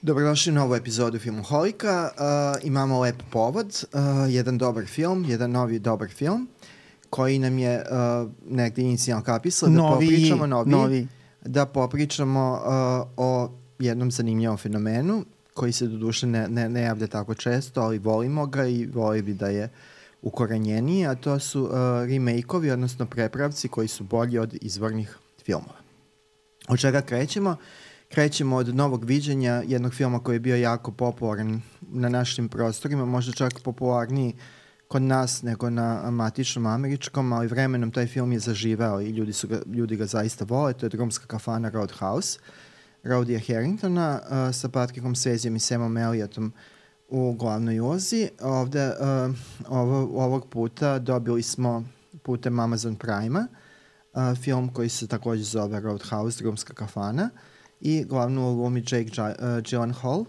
Dobrodošli u novu epizodu Filmoholika. Imamo lep povod, jedan dobar film, jedan novi dobar film koji nam je negde inicijalno kapisao da popričamo o jednom zanimljivom fenomenu koji se doduše ne javlja tako često, ali volimo ga i voli bi da je ukorenjeniji, a to su remake-ovi, odnosno prepravci koji su bolji od izvornih filmova. Od čega krećemo? Krećemo od novog viđenja jednog filma koji je bio jako popularan na našim prostorima, možda čak popularniji kod nas nego na matičnom američkom, ali vremenom taj film je zaživeo i ljudi ga zaista vole. To je drumska kafana Roadhouse, Rodija Harringtona sa Patrickom Swayzem i Samom Elliotom u glavnoj ulozi. Ovog puta dobili smo putem Amazon Prima film koji se takođe zove Roadhouse, drumska kafana, i glavnu glumi Jake Gyllenhaal,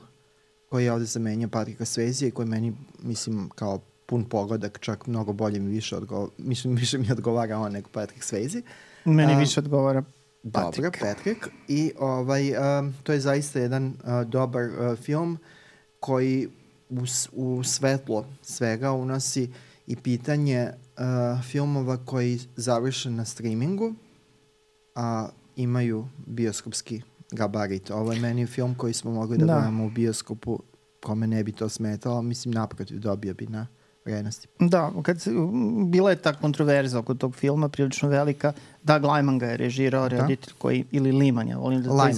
koji je ovde zamenio Patricka Swayze i koji meni, mislim, kao pun pogodak, čak mnogo bolje mi više odgovara on nego Patrick Swayze. Meni više odgovara Patrick. Dobro, Patrick. I to je zaista jedan dobar film koji u svetlo svega unosi i pitanje filmova koji završe na streamingu, a imaju bioskopski gabarit. Ovo je meni film koji smo mogli da gledamo u bioskopu, kome ne bi to smetalo, mislim naprotiv dobio bi na vrednosti. Da, bila je ta kontroverza oko tog filma prilično velika. Doug Liman ga je režirao, reditelj koji, ili Liman, ja volim da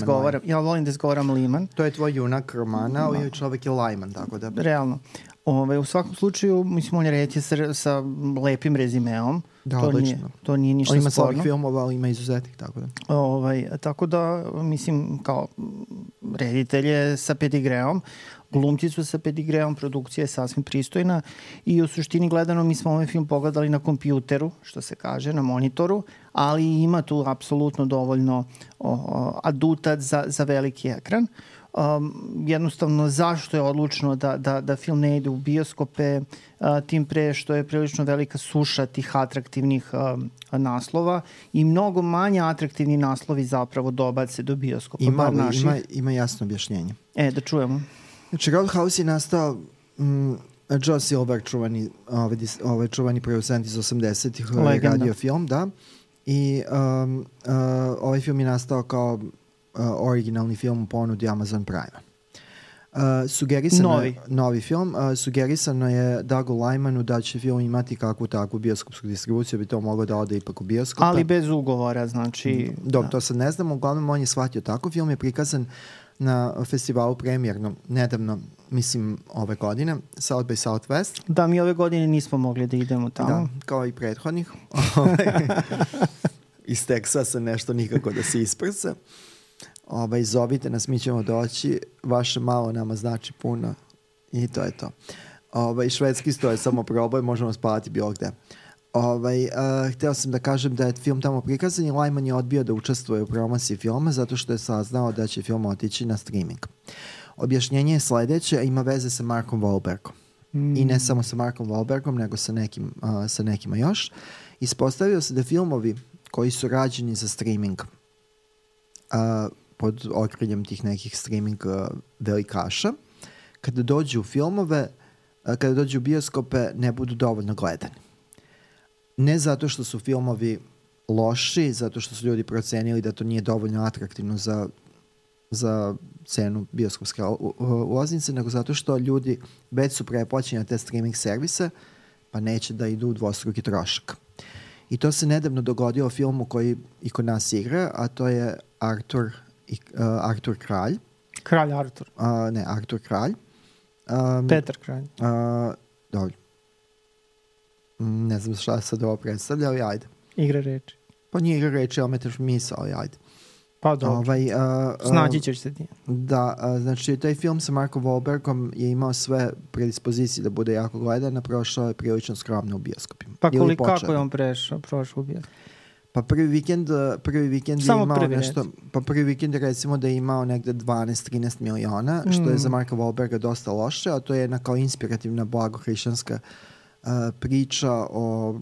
izgovaram Liman. To je tvoj junak romana, ali čovek je Liman, tako da... Realno. U svakom slučaju, mislim, on je reditelj sa lepim rezimeom. Da, odlično. To nije ništa sporno. Ima slabih filmova, ali ima izuzetnih, tako da. Tako da, mislim, kao reditelj je sa pedigreom, glumci su sa pedigreom, produkcija je sasvim pristojna i u suštini gledano mi smo ovaj film pogledali na kompjuteru, što se kaže, na monitoru, ali ima tu apsolutno dovoljno aduta za veliki ekran. Jednostavno zašto je odlučno da film ne ide u bioskope, tim pre što je prilično velika suša tih atraktivnih naslova i mnogo manje atraktivni naslovi zapravo dobace do bioskopa. Ima jasno objašnjenje. Da čujemo. Znači, Roadhouse je nastao Joe Silver, čuvani producent iz 80-ih, radio film, da. I ovaj film je nastao kao originalni film u ponudi Amazon Prima. Novi film. Sugerisano je Dougu Limanu da će film imati kakvu takvu bioskopsku distribuciju, bi to moglo da ode ipak u bioskope. Ali bez ugovora, znači... Dobro, to sad ne znam, uglavnom on je shvatio tako. Film je prikazan na festivalu premijerno, nedavno, mislim, ove godine, South by Southwest. Da, mi ove godine nismo mogli da idemo tamo. Da, kao i prethodnih. Iz Teksasa nešto nikako da se isprsa. Zovite nas, mi ćemo doći, vaše malo nama znači puno i to je to. Švedski sto je samo proboj, možemo spavati bilo gde. Hteo sam da kažem da je film tamo prikazan i Lyman je odbio da učestvuje u promociji filma zato što je saznao da će film otići na streaming. Objašnjenje je sledeće, ima veze sa Markom Wahlbergom. I ne samo sa Markom Wahlbergom, nego sa nekima još. Ispostavio se da filmovi koji su rađeni za streaming pod okriljem tih nekih streaming velikaša, kada dođu u filmove, kada dođu u bioskope, ne budu dovoljno gledani. Ne zato što su filmovi loši, zato što su ljudi procenili da to nije dovoljno atraktivno za cenu bioskopske ulaznice, nego zato što ljudi već su preplaćeni na te streaming servise, pa neće da idu u dvostruki trošak. I to se nedavno dogodilo u filmu koji i kod nas igra, a to je Artur Kralj. Kralj Artur. Ne, Artur Kralj. Petar Kralj. Dobro. Ne znam šta sad ovo predstavlja, ali ajde. Igra reči. Pa nije igra reči, ali metaš misao, ali ajde. Pa dobro. Snađi ćeš se ti. Da, znači taj film sa Markom Wahlbergom je imao sve predispozicije da bude jako gledan, a prošao je prilično skromno u bioskopima. Pa kako je on prošao u bioskop? Pa prvi vikend je imao nešto, pa prvi vikend recimo da je imao negde 12-13 miliona, što je za Marka Wahlberga dosta loše, a to je jedna kao inspirativna blagohrišćanska priča o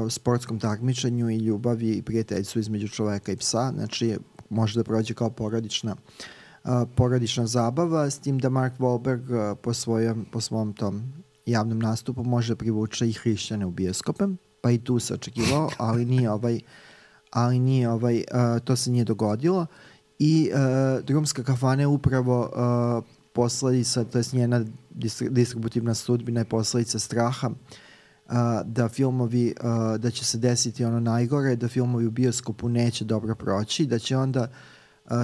sportskom takmičenju i ljubavi i prijateljstvu između čoveka i psa, znači može da prođe kao porodična porodična zabava, s tim da Mark Wahlberg po svom tom javnom nastupu može privući i hrišćane u bioskope, pa i tu se očekivao, ali nije to se nije dogodilo. I Drumska kafana je upravo posledica, to je njena distributivna sudbina je posledica straha da filmovi, da će se desiti ono najgore, da filmovi u bioskopu neće dobro proći, da će onda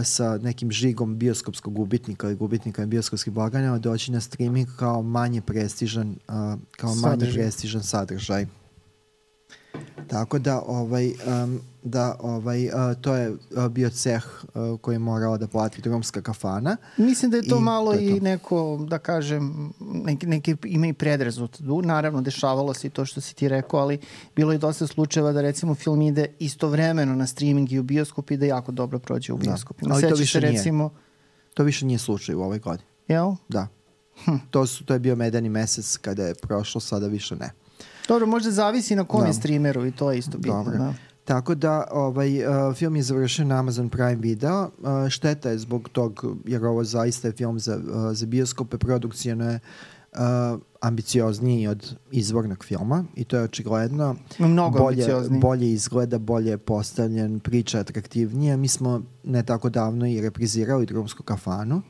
sa nekim žigom bioskopskog gubitnika ili gubitnika bioskopskih blagajna doći na streaming kao manje prestižan sadržaj. Tako da to je bio ceh koji je morala da plati Drumska kafana. Mislim da je to malo i neko, da kažem, neki ima i predrazut. Naravno, dešavalo se i to što si ti rekao, ali bilo je dosta slučajeva da recimo film ide istovremeno na streaming i u bioskop i da jako dobro prođe u bioskopu. Ali to više nije slučaj u ovoj godini. Jel? Da. To je bio medeni mesec kada je prošlo, sada više ne. Dobro, možda zavisi na kom je streameru i to je isto bitno. Da. Tako da film je završio na Amazon Prime Video. Šteta je zbog tog, jer ovo zaista je film za bioskope, produkcijno je ambiciozniji od izvornog filma i to je očigledno. Mnogo bolje izgleda, bolje je postavljen, priča atraktivnija. Mi smo ne tako davno i reprizirali Drumsku kafanu.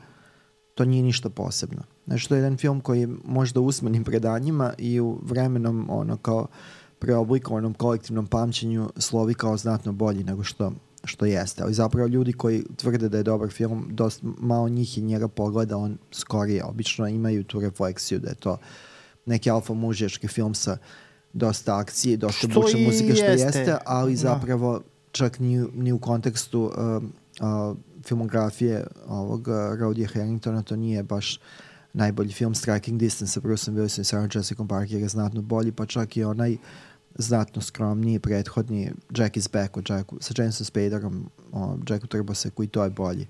To nije ništa posebno. Znači, to je jedan film koji je možda usmenim predanjima i u vremenom kao preoblikovanom kolektivnom pamćenju slovi kao znatno bolji nego što jeste. Ali zapravo ljudi koji tvrde da je dobar film, dosta malo njih je njega pogledalo skorije. Obično imaju tu refleksiju da je to neki alfa mužjački film sa dosta akcije, dosta bučne muzike što jeste, ali zapravo čak ni u kontekstu filmografije ovog Rodija Harringtona to nije baš najbolji film. Striking Distance sa Bruceom Willisom i Sarah Jessica Parker je znatno bolji, pa čak i onaj znatno skromniji prethodni Jack is Back sa Jamesom Spaderom o Jacku Turboseku, i to je bolji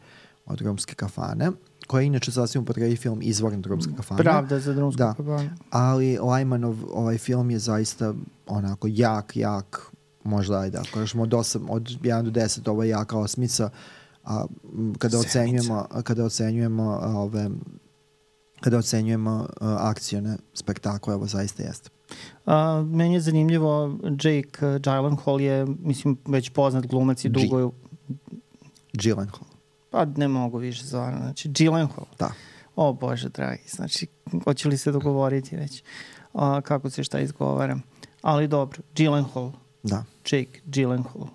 od Drumske kafane, koja je inače sasvim upotrebi film izvoran Drumska kafana. Pravda za Drumsku kafanu. Ali Lajmanov ovaj film je zaista onako jak, možda ajde, ako kažemo od 1 do 10, ovo je jaka osmica, a kada ocenjujemo akcione spektakle, ovo zaista jeste. Meni je zanimljivo, Jake Gyllenhaal je, mislim, već poznat glumac i dugo je... Gyllenhaal. Pa ne mogu više stvarno, znači Gyllenhaal. Da. O Bože dragi, znači, hoće li se dogovoriti već kako se šta izgovara. Ali dobro, Gyllenhaal. Da. Jake Gyllenhaal.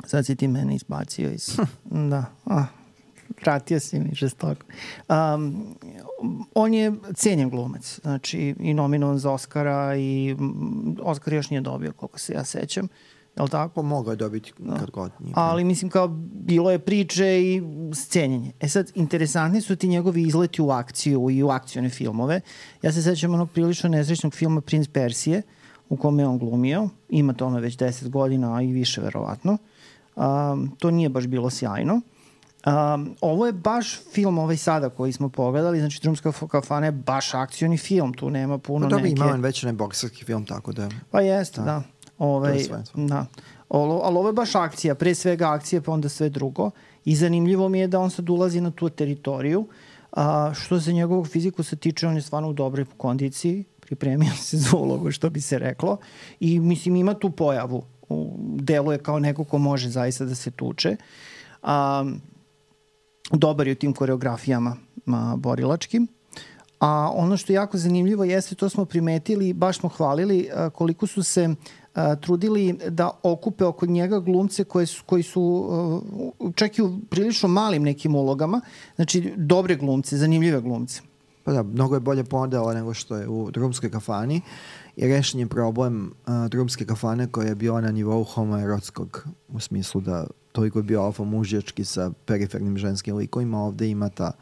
Sad si ti mene izbacio iz... Da, vratio si mi žestoko. On je cenjen glumac, znači i nominovan za Oscara i Oscar još nije dobio, koliko se ja sećam. Je li tako? Mogao je dobiti kad god. Ali mislim kao bilo je priče i scenjenje. Sad, interesantni su ti njegovi izleti u akciju i u akcione filmove. Ja se sećam onog prilično nesrećnog filma Princ Persije, u kome je on glumio. Ima tome već 10 godina, a i više verovatno. To nije baš bilo sjajno. Ovo je baš film ovaj sada koji smo pogledali, znači Drumska kafana je baš akcioni film, tu nema puno neke... Ima on već bokserski film, tako da... Pa jeste, da. Da. Ali ovo je baš akcija, pre svega akcija, pa onda sve drugo. I zanimljivo mi je da on sad ulazi na tu teritoriju. Što se njegovog fiziku se tiče, on je stvarno u dobroj kondiciji, pripremio se za ulogu, što bi se reklo. I mislim, ima tu pojavu. Deluje kao neko ko može zaista da se tuče. Dobar je u tim koreografijama borilačkim. A ono što je jako zanimljivo jeste, to smo primetili, baš smo hvalili koliko su se trudili da okupe oko njega glumce koji su čak i u prilično malim nekim ulogama, znači dobre glumce, zanimljive glumce. Pa da, mnogo je bolje podela nego što je u Drumskoj kafani i rešen je problem Drumske kafane koja je bila na nivou homoerotskog, u smislu da toliko je bio alfa mužjački sa perifernim ženskim likovima, ovde ima ta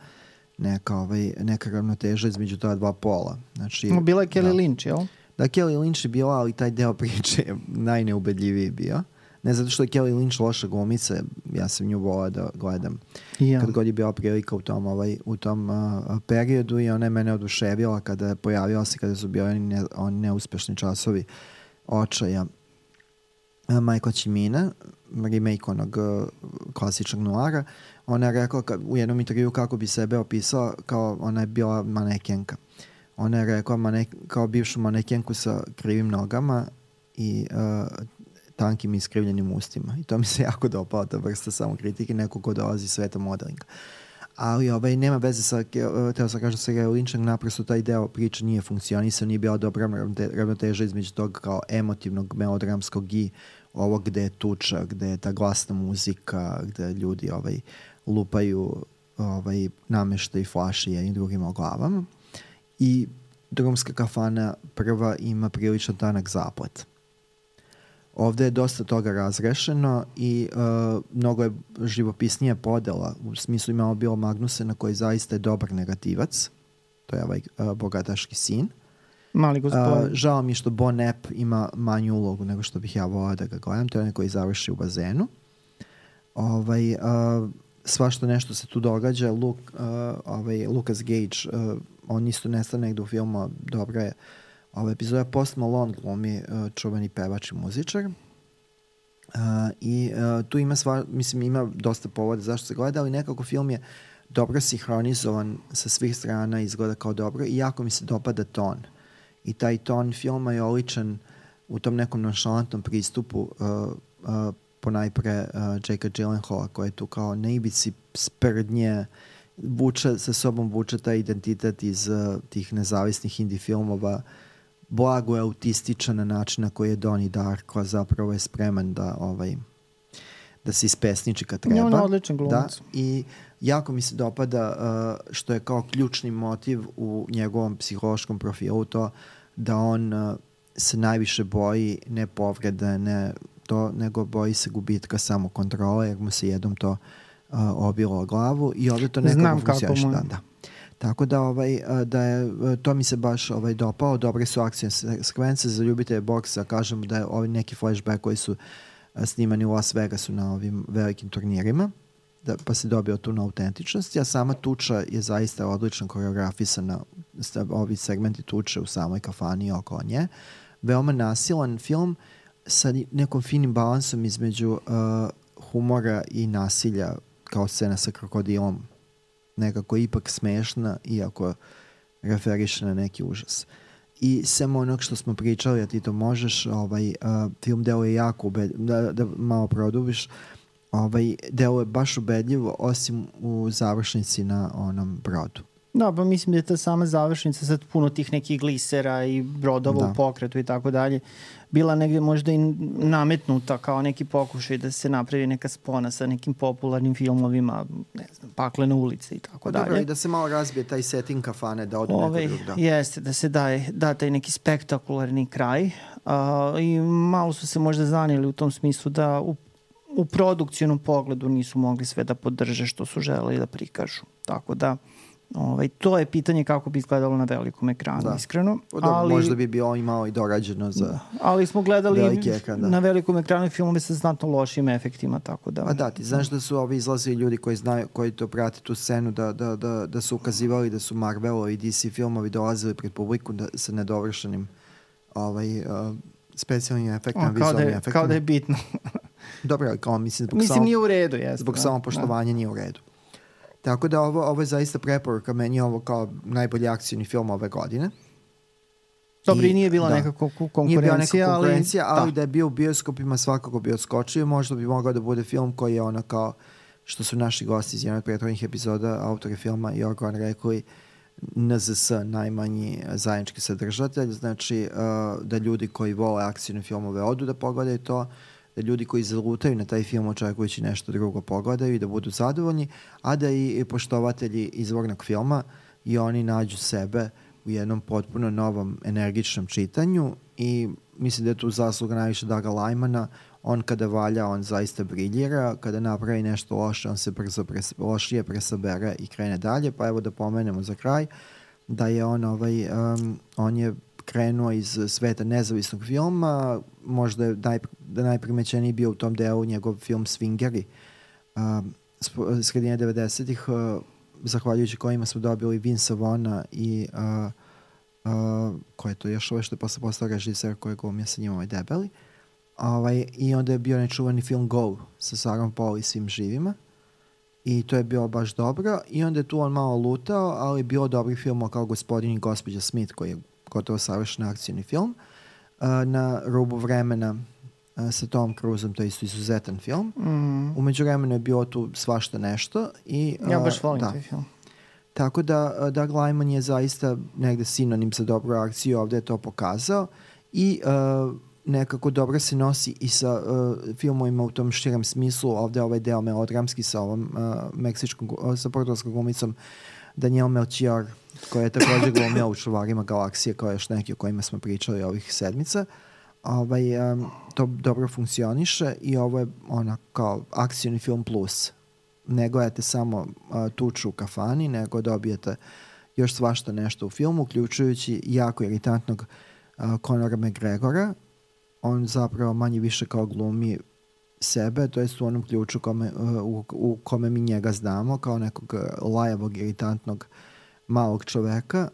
neka ravnoteža između ta dva pola. Znači, bila je Kelly Lynch, jel? Da, Kelly Lynch je bila, ali taj deo priče je najneubedljiviji bio. Ne zato što je Kelly Lynch loša glumica, ja sam nju volao da gledam. Kad god je bila prilika u tom periodu i ona je mene oduševila kada je pojavila se, kada su bili oni neuspešni časovi očaja Michael Cimina, remake onog klasičnog noara. Ona je rekla u jednom intervju kako bi sebe opisala, kao ona je bila manekenka. Ona je rekla kao bivšu manekenku sa krivim nogama i tankim iskrivljenim ustima. I to mi se jako dopala, ta vrsta samokritike, neko ko dolazi iz sveta modelinga. Ali nema veze sa, teo sam kažem sa Gary Lynchom, naprosto taj deo priče nije funkcionisao, nije bila dobra ravnoteža između tog kao emotivnog, melodramskog i ovog gde je tuča, gde je ta glasna muzika, gde ljudi lupaju nameštaj flaše jednim drugima o glavama. I Drumska kafana prva ima prilično tanak zaplet. Ovde je dosta toga razrešeno i mnogo je živopisnija podela. U smislu imamo Bila Magnusena koji zaista je dobar negativac. To je bogataški sin. Mali gospodin. Žao mi što Bon Epp ima manju ulogu nego što bih ja volao da ga gledam. To je onaj koji završi u bazenu. Svašta nešto se tu događa. Lucas Gage, on isto nestane negde u filmu. Dobra je epizoda. Post Malone glumi čuveni pevač i muzičar. I tu ima ima dosta povoda zašto se gleda, ali nekako film je dobro sinhronizovan sa svih strana, izgleda kao dobro i jako mi se dopada ton. I taj ton filma je oličan u tom nekom nonšalantnom pristupu ponajpre Jakea Gyllenhaala koji je tu kao na ivici sprdnje, sa sobom vuče taj identitet iz tih nezavisnih indie filmova, blago je autističan na način na koji je Donnie Darko, zapravo je spreman da se ispesniči kad treba. On je odličan glumac. I jako mi se dopada što je kao ključni motiv u njegovom psihološkom profilu to da on se najviše boji ne povrede, ne to, nego boji se gubitka samokontrole, jer mu se jednom to obilo o glavu i ovdje to nekako funkcioniše. Da. Tako da je, to mi se baš dopao, dobre su akcije sekvence za ljubitelje boksa, kažem da je ovi neki flashback koji su snimani u Las Vegasu na ovim velikim turnirima, pa se dobio tu na autentičnosti, a sama tuča je zaista odlično koreografisana, ovi segmenti tuče u samoj kafani i oko nje. Veoma nasilan film sa nekom finim balansom između humora i nasilja, kao scena sa krokodilom, nekako ipak smešna, iako referiše na neki užas. I sem onog što smo pričali, a ti to možeš, film deluje jako da malo produbiš, deluje baš ubedljivo, osim u završnici na onom brodu. Da, pa mislim da je ta sama završnica sad puno tih nekih glisera i brodova u pokretu i tako dalje bila negdje možda i nametnuta kao neki pokušaj da se napravi neka spona sa nekim popularnim filmovima, ne znam, Paklene ulice i tako dalje. Dobro, i da se malo razbije taj setting kafane, da odu neko drugo. Jeste, da se da taj neki spektakularni kraj i malo su se možda zanijeli u tom smislu da u produkcijnom pogledu nisu mogli sve da podrže što su želeli da prikažu. Tako da to je pitanje kako bi izgledalo na velikom ekranu, iskreno. Ali, možda bi bilo imao i dorađeno za ali smo gledali na velikom ekranu filmove sa znatno lošim efektima, tako da... A da, ti znaš da su ovi izlazili ljudi koji znaju, koji to prate tu scenu, da su ukazivali da su Marvelovi i DC filmovi dolazili pred publiku sa nedovršenim specijalnim efektima, vizualnim efektima. Kao da je bitno. Dobro, kao mislim nije u redu, jesno. Zbog samopoštovanja nije u redu. Tako da ovo je zaista preporuka, meni je ovo kao najbolji akcijni film ove godine. Dobro, i nije bila neka konkurencija. Nije bila neka konkurencija, ali da je bio u bioskopima svakako bi odskočio. Možda bi mogao da bude film koji je ono kao što su naši gosti iz jednog prethodnih epizoda, autori filma i Organ rekli, NZS, najmanji zajednički sadržatelj, znači da ljudi koji vole akcijne filmove odu da pogledaju to, da ljudi koji zalutaju na taj film očekujući nešto drugo pogledaju i da budu zadovoljni, a da i poštovatelji izvornog filma i oni nađu sebe u jednom potpuno novom energičnom čitanju i mislim da je tu zasluga najviše Daga Lajmana. On kada valja, on zaista briljira, kada napravi nešto loše, on se brzo lošije presabere i krene dalje, pa evo da pomenemo za kraj da je on je krenuo iz sveta nezavisnog filma, možda je najprimećeniji bio u tom delu njegov film Swingeri, sredine 90-ih, zahvaljujući kojima smo dobili Vince Vaughna i ko je to još ovo što je posle postao režiser koji glumio sa njim debeli. I onda je bio nečuvani film Go sa Sarom Paul i svim živima. I to je bilo baš dobro. I onda je tu on malo lutao, ali je bilo dobri film kao Gospodin i gospođa Smith, koji je gotovo savršen akcijni film. Na rubu vremena sa Tom Cruiseom, to je isto izuzetan film. Umeđu vremenu je bilo tu svašta nešto. Ja baš volim taj film. Tako da Doug Liman je zaista negde sinonim za dobru akciju, ovde je to pokazao i nekako dobro se nosi i sa filmovima u tom širem smislu. Ovde ovaj deo melodramski sa ovom sa portugalskom glumicom Daniel Melchior, koja je također glumila u Čuvarima galaksije, kao još neki o kojima smo pričali ovih sedmica. To dobro funkcioniše i ovo je kao akcijni film plus. Ne gledate samo tuču u kafani, nego dobijete još svašta nešto u filmu, uključujući jako iritantnog Conora McGregora. On zapravo manje više kao glumi sebe, to jest u onom ključu u kome mi njega znamo, kao nekog lajavog, iritantnog malog čoveka,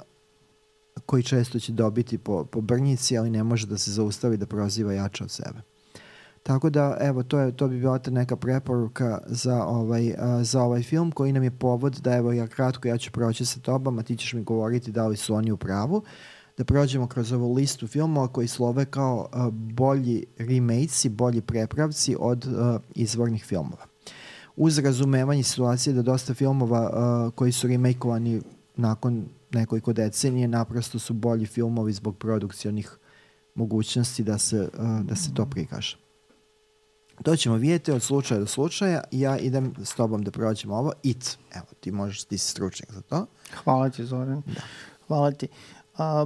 koji često će dobiti po brnjici, ali ne može da se zaustavi da proziva jače od sebe. Tako da, evo, to bi bila ta neka preporuka za ovaj film, koji nam je povod da, evo, ja ću proći sa tobom, a ti ćeš mi govoriti da li su oni u pravu, da prođemo kroz ovu listu filmova koji slove kao bolji remakesi, bolji prepravci od izvornih filmova. Uz razumevanje situacije da dosta filmova koji su remakeovani nakon nekoliko decenije naprosto su bolji filmovi zbog produkcionih mogućnosti da se to prikaže. To ćemo vidjeti od slučaja do slučaja. Ja idem s tobom da prođem ovo. It. Evo, ti si stručnjak za to. Hvala ti, Zoran. Da. Hvala ti.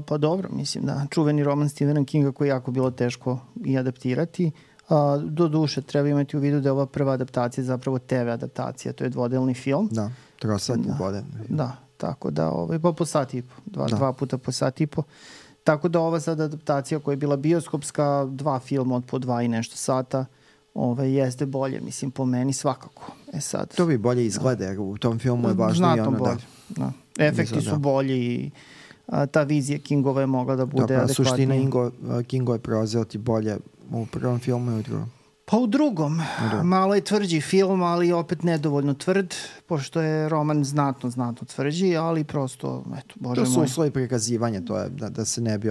Pa dobro, mislim da čuveni roman Stephena Kinga koji je jako bilo teško i adaptirati. Do duše, treba imati u vidu da je ova prva adaptacija zapravo TV adaptacija. To je dvodelni film. Da, trosatni dvodelni. Da, tako da pa po sat i po. Dva puta po sat i po. Tako da ova sad adaptacija koja je bila bioskopska, 2 filma od po 2 i nešto sata, jeste bolje, mislim, po meni svakako. Sad, to bi bolje izgleda, jer u tom filmu je važno i ono da. Efekti su bolji i ta vizija Kingova je mogla da bude adekvatnija. Suština Kingo je preuzeo ti bolje u prvom filmu i u drugom. Pa u drugom. Malo je tvrđi film, ali opet nedovoljno tvrd, pošto je roman znatno tvrđi, ali prosto, eto, bože moj. To su uslovi prikazivanja, to je da se ne bi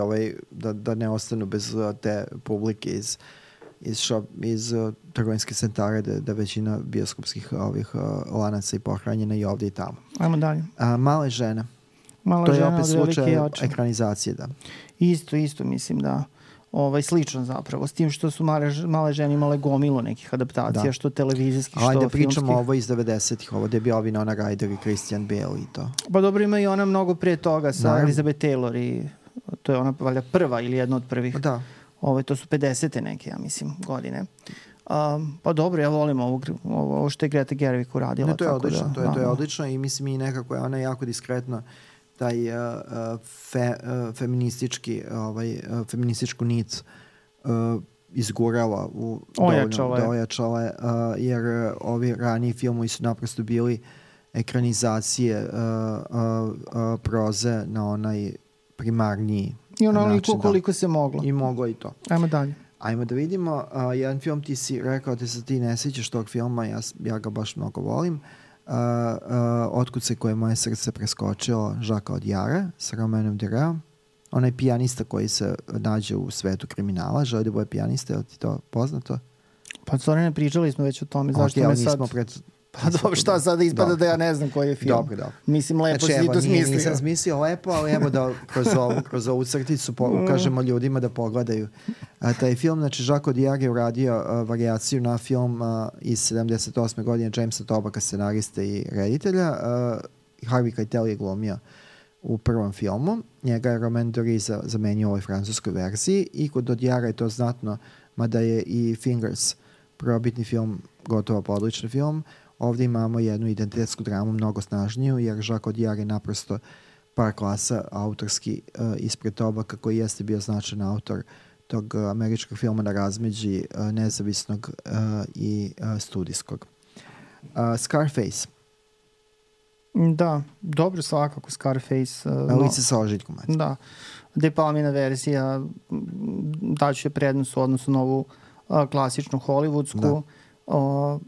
da ne ostanu bez te publike iz trgovinske centare, da većina bioskopskih lanaca i pohranjena i ovdje i tamo. Ajmo dalje. Male žene. To je opet slučaj ekranizacije, da. Isto mislim da slično zapravo, s tim što su male žene imale gomilu nekih adaptacija, što televizijskih, što filmskih. Ajde pričamo ovo iz 90-ih, ovo gde je bio Winona Ryder i Christian Bale i to. Pa dobro, ima i ona mnogo prije toga sa Elizabeth Taylor i to je ona valjda prva ili jedna od prvih. Da. To su 50. neke, ja mislim, godine. Pa dobro, ja volim ovo što je Greta Gerwig uradila. To je odlično, to je odlično i mislim i nekako je ona jako diskretno taj feminističku nit izgurala ojačala, jer ovi raniji filmovi su naprosto bili ekranizacije proze na onaj primarniji i onoliko koliko se moglo. I moglo i to. Ajmo dalje. Ajmo da vidimo. Jedan film, ti si rekao da se ti ne sjećaš tog filma, ja ga baš mnogo volim. Otkud se koje moje srce preskočilo, Žaka Odijara sa Romanom Dureom. Onaj pijanista koji se nađe u svetu kriminala, želi da bude pijanista, je li ti to poznato? Pa Zorane, pričali smo već o tome, zašto me sad... Pa dobro, šta sada ispada da ja ne znam koji je film. Dobro. Mislim, lepo si to smislio. Nisam smislio lepo, ali evo da kroz ovu crticu ukažemo ljudima da pogledaju taj film. Znači, Jacques Audiard je uradio varijaciju na film iz 78. godine Jamesa Tobacka, scenariste i reditelja. Harvey Keitel je glumio u prvom filmu. Njega je Romain Duris zamenio u ovoj francuskoj verziji i kod Audiarda je to znatno, mada je i Fingers probitni film, gotovo podlični film. Ovdje imamo jednu identitetsku dramu mnogo snažniju, jer Jacques Audiard je naprosto par klasa autorski ispred Tobacka, koji jeste bio značajan autor tog američkog filma na razmeđi nezavisnog i studijskog. Scarface. Da, dobro, svakako Scarface. Lice sa ožiljkom. Da, De Palmina verzija daću je prednost u odnosu na ovu klasičnu hollywoodsku.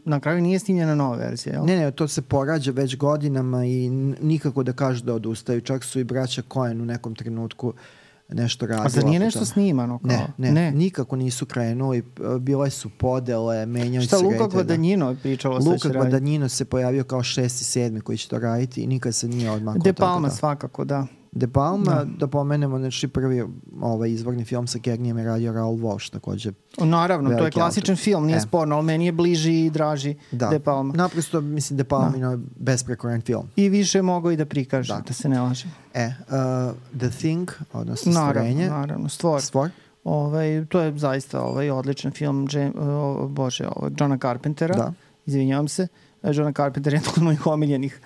Na kraju nije snimljena nova verzija, jel? Ne, to se porađa već godinama i nikako da kažu da odustaju. Čak su i braća Coen u nekom trenutku nešto radila. A zar nije nešto snimano? Kao? Ne, nikako nisu krenuli. Bile su podele, menjali se reditelja. Luka Guadagnino pričalo se Luka Guadagnino se pojavio kao 6. i 7. koji će to raditi i nikad se nije odmakao. De Palma svakako, da. De Palma, da pomenemo, znači prvi izvorni film sa Cagneyem je radio Raoul Walsh, takođe. Naravno, to je klasičan film, nije sporno, ali meni je bliži i draži De Palma. Naprosto, mislim, De Palma je besprekoran film. I više mogo i da prikaže, da se ne lažem. The Thing, odnosno Stvorenje. Naravno, Stvor. To je zaista odličan film Johna Carpentera, izvinjavam se. Johna Carpenter je jedan od mojih omiljenih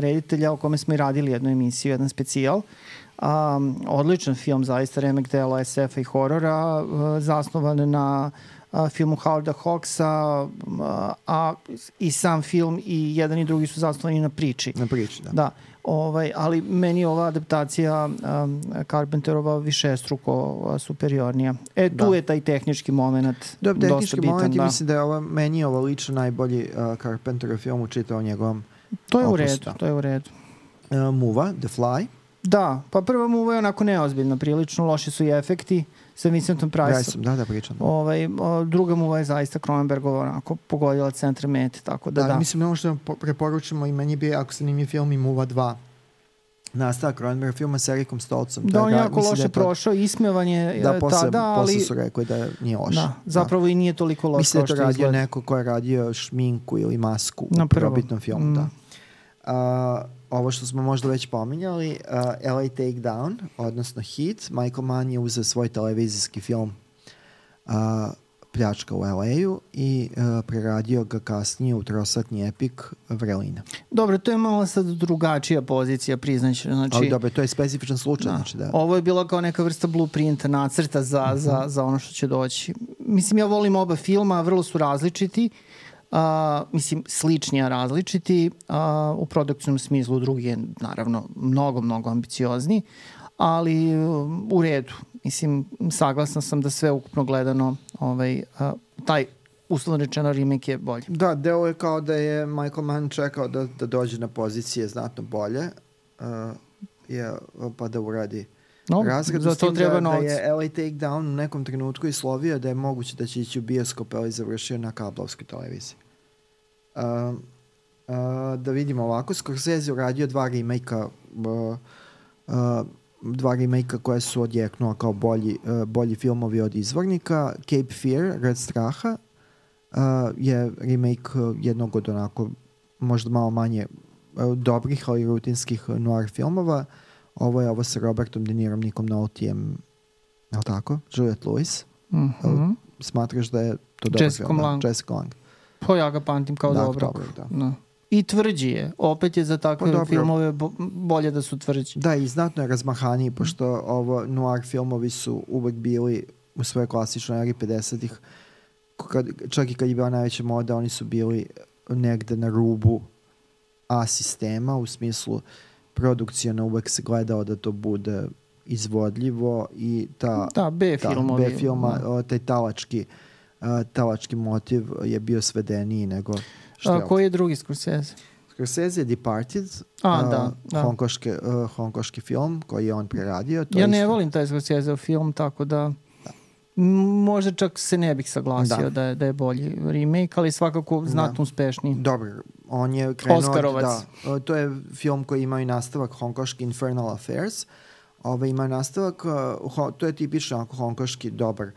reditelja o kome smo i radili jednu emisiju, jedan specijal. Odličan film, zaista remek dela SF-a i horora, zasnovan na filmu Howarda Hawksa, a i sam film i jedan i drugi su zasnovani na priči. Na priči, da. Ali meni je ova adaptacija Carpenterova višestruko superiornija. Tu je taj tehnički moment dosta bitan. Tehnički moment i mislim da je meni je ovo lično najbolji Carpenterov film u čitavom njegovom to je u redu. Muva, The Fly. Da, pa prva Muva je onako neozbiljna, prilično loši su i efekti sa Vincentom Priceom. Da, pričam. Druga Muva je zaista Cronenbergova onako pogodila centar mete, tako da. Mislim, ono što preporučimo i meni bi jako zanimljiv film i Muva 2. Nastavak Cronenberg filma s Erikom Stoltzom. Da, on je jako loše prošao, ismevanje tada, ali... Posle su rekli da nije loše. Da, zapravo i nije toliko loše. Mislim da je to radio neko ko je radio šminku ili masku u prvobitnom filmu, da. Ovo što smo možda već pominjali, LA Takedown, odnosno Hit, Michael Mann je uzeo svoj televizijski film Pljačka u LA-u i preradio ga kasnije u trosatni epik Vrelina. Dobro, to je malo sad drugačija pozicija, priznaću. Ali dobro, to je specifičan slučaj. Ovo je bilo kao neka vrsta blueprinta, nacrta za ono što će doći. Mislim, ja volim oba filma, vrlo su različiti. Slični, a različiti. U produkcijnom smislu drugi je naravno mnogo ambiciozni, ali u redu. Mislim, saglasna sam da sve ukupno gledano taj uslovno rečeno remake je bolji. Da, deo je kao da je Michael Mann čekao da dođe na pozicije znatno bolje pa da uradi razred. Za to treba novac. Da je LA Takedown u nekom trenutku i slovio da je moguće da će ići u bioskop, ali završio na kablovskoj televiziji. Da vidimo ovako, Scorsese uradio dva remake-a koje su odjeknula kao bolji filmovi od izvornika. Cape Fear, Red straha, je remake jednog od onako možda malo manje dobrih, ali rutinskih noir filmova. Ovo sa Robertom De Nirom, Nikom Noltijem, je li tako? Juliette Lewis. Smatraš da je to dobar film? Jessica Lange. Pa ja ga pamtim kao dobrog. Da. I tvrđi je. Opet je za takve filmove bolje da su tvrđi. Da, i znatno je razmahaniji, pošto ovo noir filmovi su uvek bili u svojoj klasičnoj eri 50-ih. Čak i kad je bila najveća moda, oni su bili negde na rubu A sistema, u smislu produkcijona uvek se gledao da to bude izvodljivo i B filma, taj talački motiv je bio svedeniji nego što je. Koji je drugi Scorsese? Scorsese je Departed, hongkoški film koji je on preradio. Ja ne volim taj Scorsese film, tako da možda čak se ne bih saglasio da je bolji remake, ali svakako znatno uspešniji. Dobro, on je krenuo... Oskarovac. To je film koji ima i nastavak hongkoški Infernal Affairs. Ima nastavak, to je tipično hongkoški dobar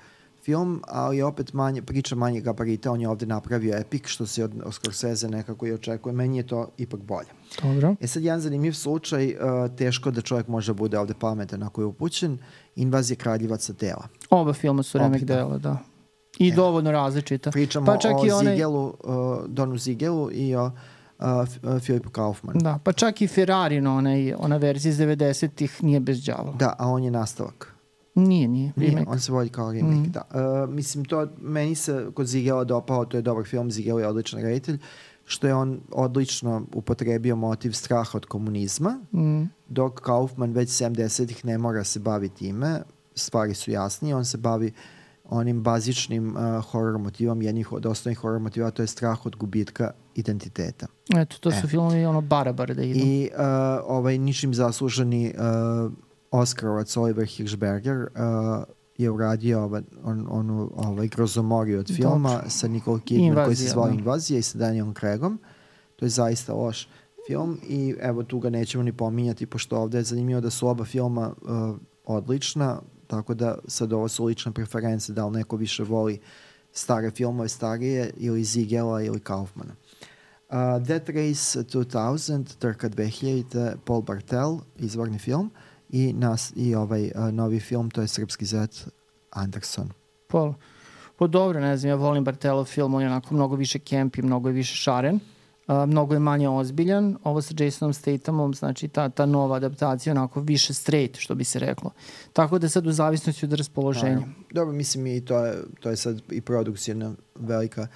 film, ali opet priča manje gabarita. On je ovde napravio epik, što se od Scorsese nekako i očekuje. Meni je to ipak bolje. Dobro. Sad jedan zanimljiv slučaj, teško da čovjek može bude ovde pametan ako je upućen, Invazija kraljevaca tela. Oba filma su remake dela, da. I dovoljno različita. Pričamo o Ziegelu, Donu Ziegelu i o Philipu Kaufmanu. Da, pa čak i Ferrarino, ona verzija iz 90-ih nije bez đavola. Da, a on je nastavak. Nije remake. On se vodi kao remake, da. Mislim, to meni se kod Ziegela dopao, to je dobar film, Ziegel je odličan reditelj, što je on odlično upotrebio motiv straha od komunizma, dok Kaufman već 70-ih ne mora se baviti time, stvari su jasnije, on se bavi onim bazičnim horror motivom, jednih od osnovnih horror motiva, to je strah od gubitka identiteta. Eto, to su filmovi Barabar da idu. I ničim zasluženi Oskarovac Oliver Hirschberger je uradio onu grozomoriju od filma. Dobre. Sa Nicole Kidman koji se zvao Invazija i sa Danielom Craigom. To je zaista loš film i evo tu ga nećemo ni pominjati, pošto ovde je zanimljivo da su oba filma odlična, tako da sad ovo su lične preference, da li neko više voli stare filmove, starije, ili Ziegela ili Kaufmana. Death Race 2000, Trka 2000, Paul Bartel, izvorni film, i ovaj novi film, to je Srpski zet Anderson. Paul. Pa dobro, ne znam, ja volim Bartelov film, on je onako mnogo više camp i mnogo je više šaren. Mnogo je manje ozbiljan. Ovo sa Jasonom Stathamom, znači ta nova adaptacija onako više straight, što bi se reklo. Tako da sad u zavisnosti od raspoloženja. Dobro, mislim i to je sad i produkcijna velika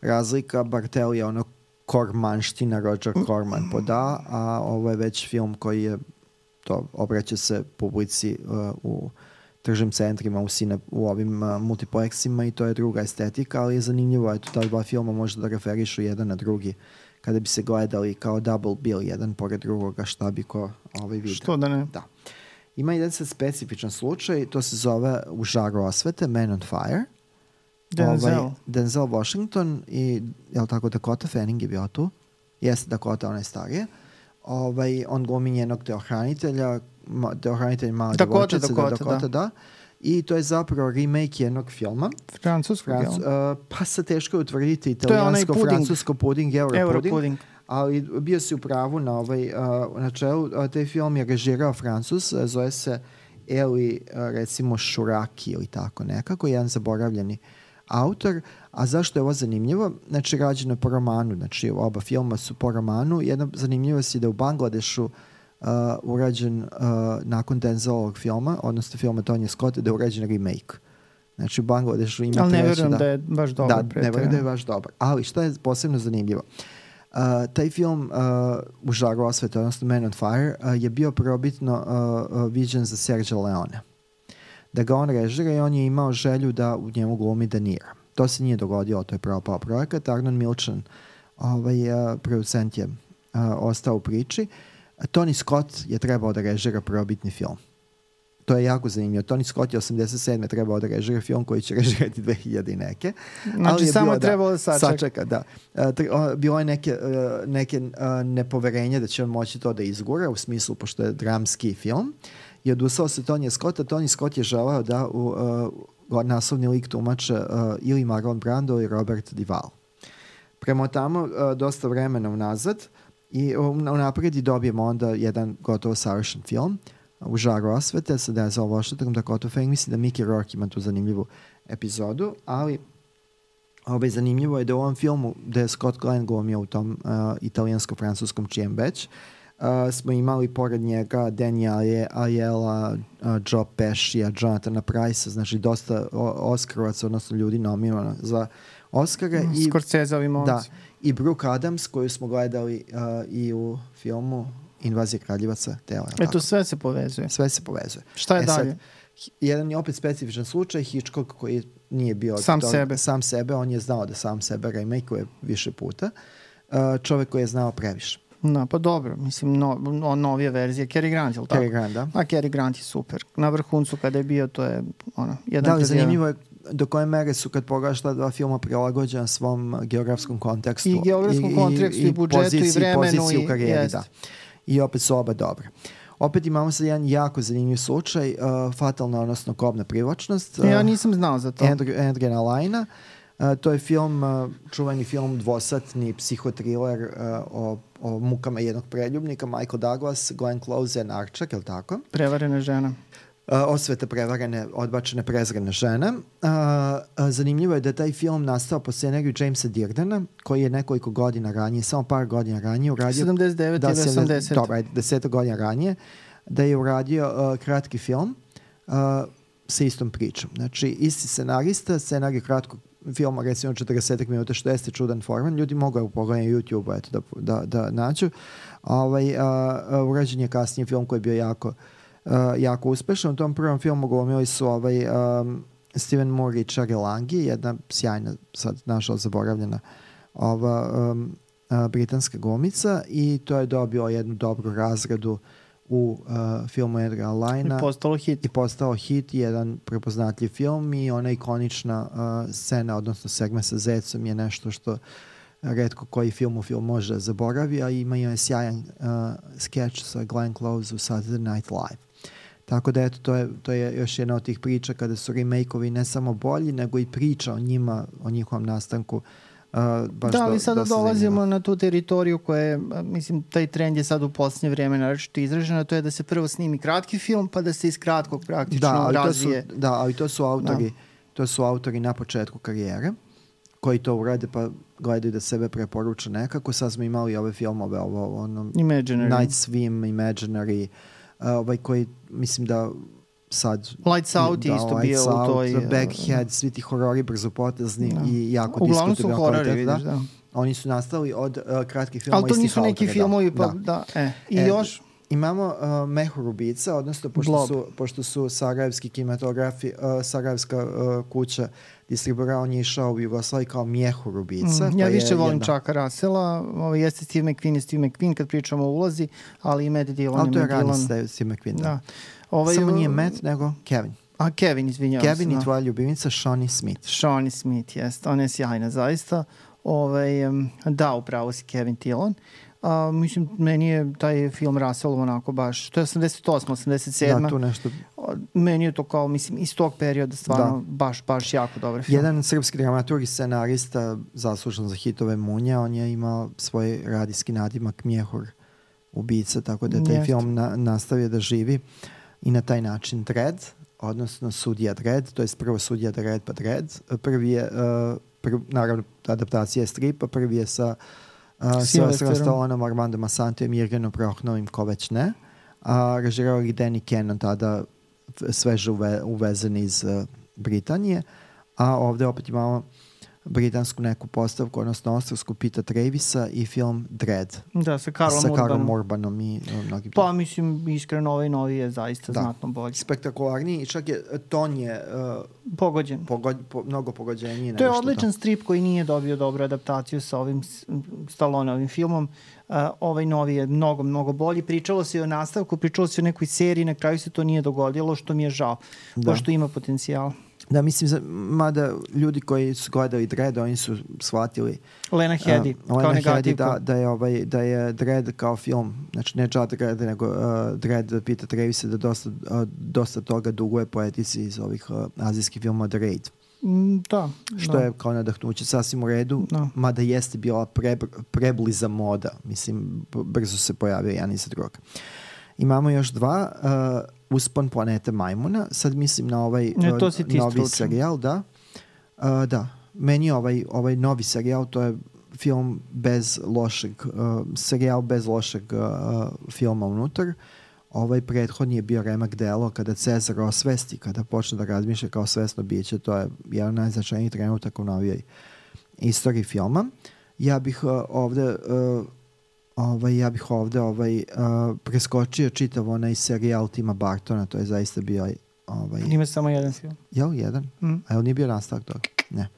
razlika. Bartel je ono kormanština, Roger Corman poda, a ovo je već film koji je obraća se publici u tržnim centrima, u ovim multiplexima i to je druga estetika, ali je zanimljivo, eto, ta dva filma može da referišu jedan na drugi kada bi se gledali kao double bill, jedan pored drugoga, šta bi ko vidio. Što da ne? Da. Ima jedan sad specifičan slučaj, to se zove U žaru osvete, Man on Fire. Denzel Washington i, jel tako, Dakota Fanning je bio tu. Jeste Dakota, ona je starije. On glumi njenog teohranitelja, mala devojčica, Dakota, da. I to je zapravo remake jednog filma. Francuskog, pa se teško je utvrditi italijansko, francusko puding, Europuding. Ali bio si u pravu na čelu. Taj film je režirao Francus, zove se Eli, recimo, Šuraki ili tako nekako, jedan zaboravljeni autor. A zašto je ovo zanimljivo? Znači, rađeno je po romanu, znači oba filma su po romanu. Jedna zanimljivost je da u Bangladešu urađen nakon Denzelovog filma, odnosno filma Tonija Scotta, da je urađen remake. Znači u Bangladešu ima ali ne verujem da je baš dobar. Da, ne verujem da je baš dobar. Ali šta je posebno zanimljivo? Taj film U žaru osvete, odnosno Man on Fire, je bio probitno viđen za Sergio Leone. Da ga on režira i on je imao želju da u njemu glumi De Niro. To se nije dogodilo, to je propao projekat. Arnon Milchan, producent, je ostao u priči. Tony Scott je trebao da režira prvobitni film. To je jako zanimljivo. Tony Scott je 87. trebao da režira film koji će režirati 2000 i neke. Znači samo je trebao da sačeka. Da. Bilo je neke nepoverenje da će on moći to da izgura, u smislu pošto je dramski film. I odustao se Tonija Scotta. Tony Scott je želeo da naslovni lik tumače ili Marlon Brando ili Robert Duvall. Prema tamo, dosta vremena unazad, i napred dobijemo onda jedan gotovo savršen film U žaru osvete sa Denzel Washingtonom, Dakota Fanning. Mislim da Mickey Rourke ima tu zanimljivu epizodu, ali zanimljivo je da u ovom filmu da je Scott Glenn glumio u tom italijansko-francuskom čijem već smo imali pored njega Daniela Aiella, Joe Pescija, Jonathana Price, znači dosta Oskarovaca, odnosno ljudi nominovano za Oscara. Scorseseovi momci. Da, i Brooke Adams, koju smo gledali i u filmu Invazija kraljevaca tela. Eto, sve se povezuje. Sve se povezuje. Šta je dalje? Sad, jedan je opet specifičan slučaj, Hitchcock koji nije bio sam sebe, on je znao da sam sebe remake-uje više puta. Čovek koji je znao previše. Pa dobro, mislim, novija verzija. Cary Grant, je li tako? Cary Grant, da. A Cary Grant je super. Na vrhuncu kada je bio, to je jedan... Da, zanimljivo je do koje mere su, kad pogledaš ta dva filma, prilagođena svom geografskom kontekstu. I geografskom kontekstu, i budžetu, i vremenu. Poziciji u karijeri, da. I opet su oba dobre. Opet imamo sad jedan jako zanimljiv slučaj, fatalna, odnosno kobna privlačnost. Ja nisam znao za to. Adriana Lyna. To je film, čuveni film, dvosatni psihotriler o mukama jednog preljubnika, Michael Douglas, Glenn Close, Anne Arčak, je li tako? Prevarene žene. Osvete prevarene, odbačene, prezrene žene. Zanimljivo je da je taj film nastao po scenariju Jamesa Deardena, koji je nekoliko godina ranije, samo par godina ranije uradio... 79 ili 80. Dobro, 10 godina ranije, da je uradio kratki film sa istom pričom. Znači, isti scenarista, scenarij kratkog filma, recimo 40 minuta, što jeste čudan forman. Ljudi mogu pogledati na YouTube da nađu. Urađen je kasnije film koji je bio jako uspešan. U tom prvom filmu glumili su Steven Moore i Cherry Lange, jedna sjajna, sad nažalost zaboravljena britanska glumica, i to je dobio jednu dobru razradu u filmu Edgara Lyna. I postao hit, jedan prepoznatljiv film, i ona ikonična scena, odnosno segment sa zecom je nešto što retko koji film može da zaboravi, a ima je sjajan skeč sa Glenn Close u Saturday Night Live. Tako da eto, to je još jedna od tih priča kada su remake-ovi ne samo bolji, nego i priča o njima, o njihovom nastanku. Da, ali sada dolazimo na tu teritoriju koja je, mislim, taj trend je sad u posljednje vreme naročito izraženo, to je da se prvo snimi kratki film, pa da se iz kratkog praktično razvije. Ali to su autori na početku karijere, koji to urade pa gledaju da sebe preporuča nekako. Sad smo imali ove filmove, Imaginary. Night Swim, Imaginary, koji mislim da sad... Lights Out je isto bio u toj... Backhead, svi ti horori brzopotezni i jako uglavnom su horori, vidiš, da. Oni su nastali od kratkih filmova. Ali to nisu neki filmovi, pa da. I još... Imamo Mehur ubica, odnosno pošto su sarajevski kinematografi, sarajevska kuća distribuira, on je išao u Jugoslaviji kao Mjehur ubica. Ja više volim Chucka Russella, jeste Steve McQueen kad pričamo o ulozi, ali i Matt Dillon. Ali to je rani Steve McQueen, da. Samo nije Matt, nego Kevin. Kevin, izvinjavam se. Kevin i tvoja ljubimica Shawnee Smith. Shawnee Smith, jest. Ona je sjajna, zaista. Da, upravo si Kevin Dillon. Mislim, meni je taj film Russell onako baš, to je 88, 87. Da, tu nešto. Meni je to kao, mislim, iz tog perioda stvarno baš jako dobar film. Jedan srpski dramaturg i scenarista zaslužen za hitove Munja, on je imao svoj radijski nadimak Mjehur ubica, tako da je taj film nastavio da živi i na taj način. Dredd, odnosno Sudija Dredd, to je prvo Sudija Dredd pa Dredd. Prvi je, naravno, adaptacija je stripa, prvi je sa Sylvesterom Stallonom, Armandom Assanteom, Jürgenom Prochnovim, ko već ne. Režirao ih Danny Cannon, tada sveže uvezen iz Britanije. A ovde opet imamo britansku neku postavku, odnosno australijsku Pita Travisa i film Dredd. Da, sa Karlom Urbanom i mnogim. Pa mislim, iskreno ovaj novi je zaista znatno bolji. Spektakularniji i čak je ton je pogođen. Mnogo pogođeniji. To je odličan strip koji nije dobio dobru adaptaciju sa ovim Stallonovim filmom. Ovaj novi je mnogo bolji. Pričalo se o nastavku, pričalo se o nekoj seriji, na kraju se to nije dogodilo, što mi je žao, pošto ima potencijal. Da, mislim, mada ljudi koji su gledali Dredd, oni su shvatili Lena Headey kao negativku. Da je Dredd kao film, znači ne Judge Dredd, nego Dredd Pita Travisa, da dosta toga duguje poetici iz ovih azijskih filmova The Raid. Da. Što je kao nadahnuće sasvim u redu, mada jeste bila prebliza moda. Mislim, brzo se pojavio jedan iza druga. Imamo još dva, Uspon planete majmuna. Sad mislim na ovaj novi serijal, da. Da, meni ovaj novi serijal, to je film bez lošeg, serijal bez lošeg filma unutar. Ovaj prethodni je bio remak delo kada Cezar osvesti, kada počne da razmišlja kao svesno biće. To je jedan najznačajniji trenutak u novijoj istoriji filma. Ja bih ovde preskočio čitav onaj serijal Tima Bartona, to je zaista bio... Ima samo jedan film. Jel, jedan? A jel nije bio nastavak toga? Ne.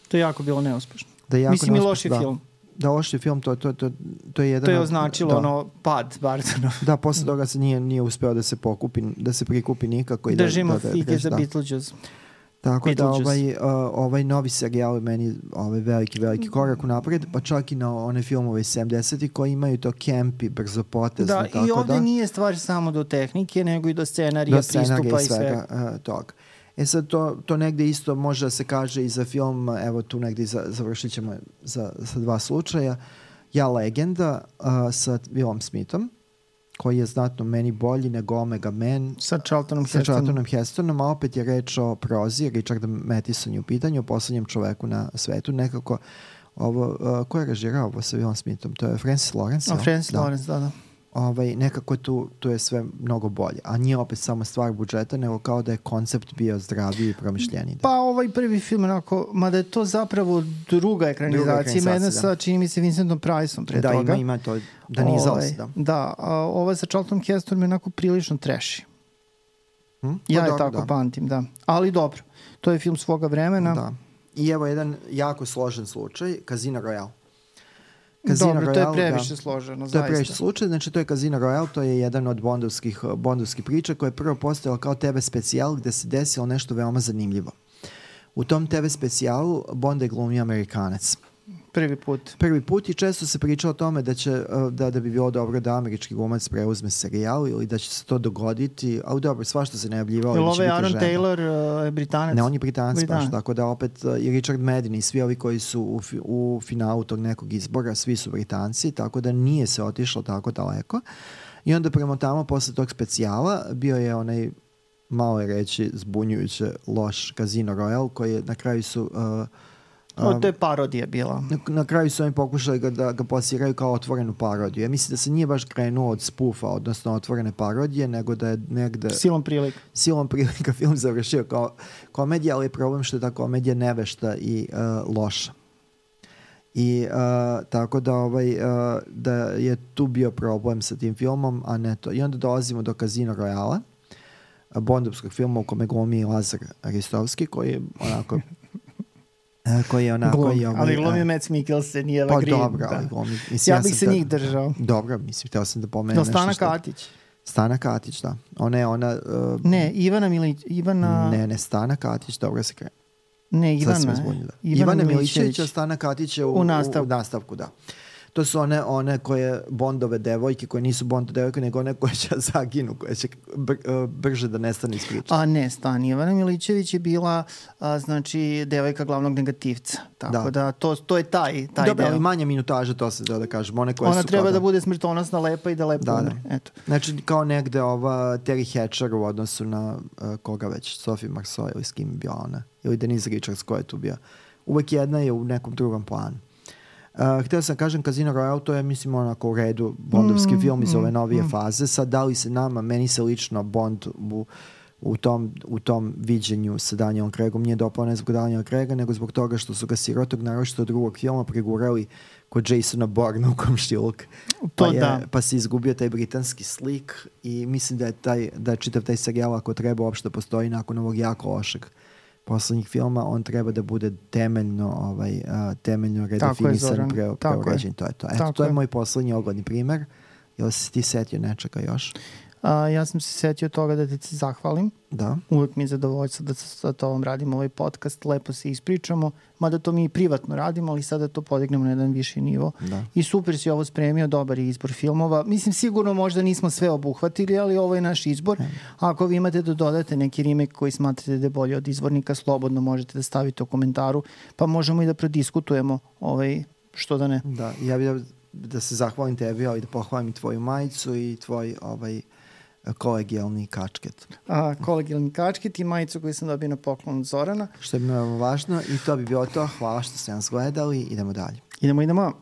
To je jako bilo neuspešno. Mislim i loši film. Da, loši film, to je jedan... To je označilo pad Bartona. Da, posle toga se nije uspeo da se prikupi nikako. Držimo fike za Beetlejuice. Tako da ovaj novi serijal je meni veliki korak u napred, pa čak i na one filmove iz 70-ih koji imaju to campi, brzopotezno. Da, i ovdje nije stvar samo do tehnike, nego i do scenarija, pristupa i svega toga. Sad to negde isto može da se kaže i za film, evo tu negde završit ćemo sa dva slučaja. Ja legenda sa Willom Smithom, koji je znatno meni bolji nego Omega Man sa Charltonom Hestonom, a opet je reč o prozi, Richard Matheson je u pitanju, o poslednjem čoveku na svetu. Nekako, ko je režirao ovo sa Willom Smithom? To je Francis Lawrence. Lawrence, da. Nekako tu je sve mnogo bolje. A nije opet samo stvar budžeta, nego kao da je koncept bio zdraviji i promišljeniji. Pa ovaj prvi film, mada je to zapravo druga ekranizacija, jedna sa, čini mi se, Vincentom Priceom pre toga. Da, ima to, da nije zaos, da. Da, ova sa Charltonom Hestonom je onako prilično trashy. Ja je tako pamtim, da. Ali dobro, to je film svoga vremena. Da. I evo jedan jako složen slučaj, Casino Royale. Dobro, to je previše složeno, zaista. To je previše slučaj, znači to je Casino Royale, to je jedan od bondovskih priča koja je prvo postojala kao TV specijal gde se desilo nešto veoma zanimljivo. U tom TV specijalu Bond je glumio Amerikanac. Prvi put i često se priča o tome da će da bi bilo dobro da američki glumac preuzme serijal ili da će se to dogoditi, ali dobro, svašta se najavljivalo. Ili ovaj Aaron Taylor je Britanac? Ne, on je Britanac baš, tako da opet i Richard Madden i svi ovi koji su u finalu tog nekog izbora, svi su Britanci, tako da nije se otišlo tako daleko. I onda prema tamo, posle tog specijala, bio je onaj, malo je reći, zbunjujuće loš Casino Royale, koji je na kraju su... to je parodija bila. Na kraju su oni pokušali da ga plasiraju kao otvorenu parodiju. Ja mislim da se nije baš krenuo od spoofa, odnosno otvorene parodije, nego da je negde... Silom prilika film završio kao komedija, ali je problem što je ta komedija nevešta i loša. I tako da, da je tu bio problem sa tim filmom, a ne to. I onda dolazimo do Casino Royale, bondovskog filma u kome glumi Lazar Ristovski, koji je onako... ali glumi Mads Mikkelsen i Eva Green. Dobro, ali glumi. Ja bih se njih držao. Dobro, mislim, htio sam da pomenem nešto. Stana Katić. Stana Katić, da. Ona je ona... Ne, Ivana... Ne, Stana Katić, dobro se krene. Ne, Ivana Milićević, a Stana Katić je u nastavku, da. To su one koje Bondove devojke, koje nisu Bond devojke, nego one koje će zaginu, koje će brže da nestane iz priče. A ne, Stani. Ivana Milićević je bila, znači, devojka glavnog negativca. Tako da to je taj deo. Dobro, ali manja minutaža, to se da kažem. Ona treba da bude smrtonosna, lepa i da lepo umre. Eto. Znači, kao negde ova Terry Hatcher u odnosu na koga već, Sophie Marceau ili s kim je bila ona. Ili Denise Richards, ko je tu bio. Uvek jedna je u nekom drugom planu. Htio sam kažem Casino Royale, to je mislim onako u redu bondovski film iz ove novije faze. Sad da li se meni se lično Bond u tom viđenju sa Danielom Craigom nije dopao ne zbog Daniela Craiga, nego zbog toga što su ga sirotog naročito od drugog filma pregurali kod Jasona Bourna u komšiluk. Pa se izgubio taj britanski slik i mislim da je čitav taj serijal, ako treba uopšte postoji nakon ovog jako lošeg poslednjih filma, on treba da bude temeljno redefinisan, preograđen. To je moj poslednji ogledni primer. Jel si ti setio nečega još? Ja sam se setio toga da ti se zahvalim. Da. Uvijek mi je zadovoljstvo da sa tobom radimo ovaj podcast, lepo se ispričamo, mada to mi i privatno radimo, ali sada to podignemo na jedan viši nivo. Da. I super si ovo spremio, dobar je izbor filmova. Mislim, sigurno možda nismo sve obuhvatili, ali ovo je naš izbor. Ako vi imate da dodate neki remake koji smatrate da je bolji od izvornika, slobodno možete da stavite u komentaru, pa možemo i da prodiskutujemo što da ne. Da, ja bih da se zahvalim tebi, ali da pohvalim i tvoju majicu i tvoj kolegijalni kačket. Kolegijalni kačket i majicu koju sam dobio na poklon od Zorana. Što je mi važno i to bi bilo to. Hvala što ste nas gledali. Idemo dalje. Idemo.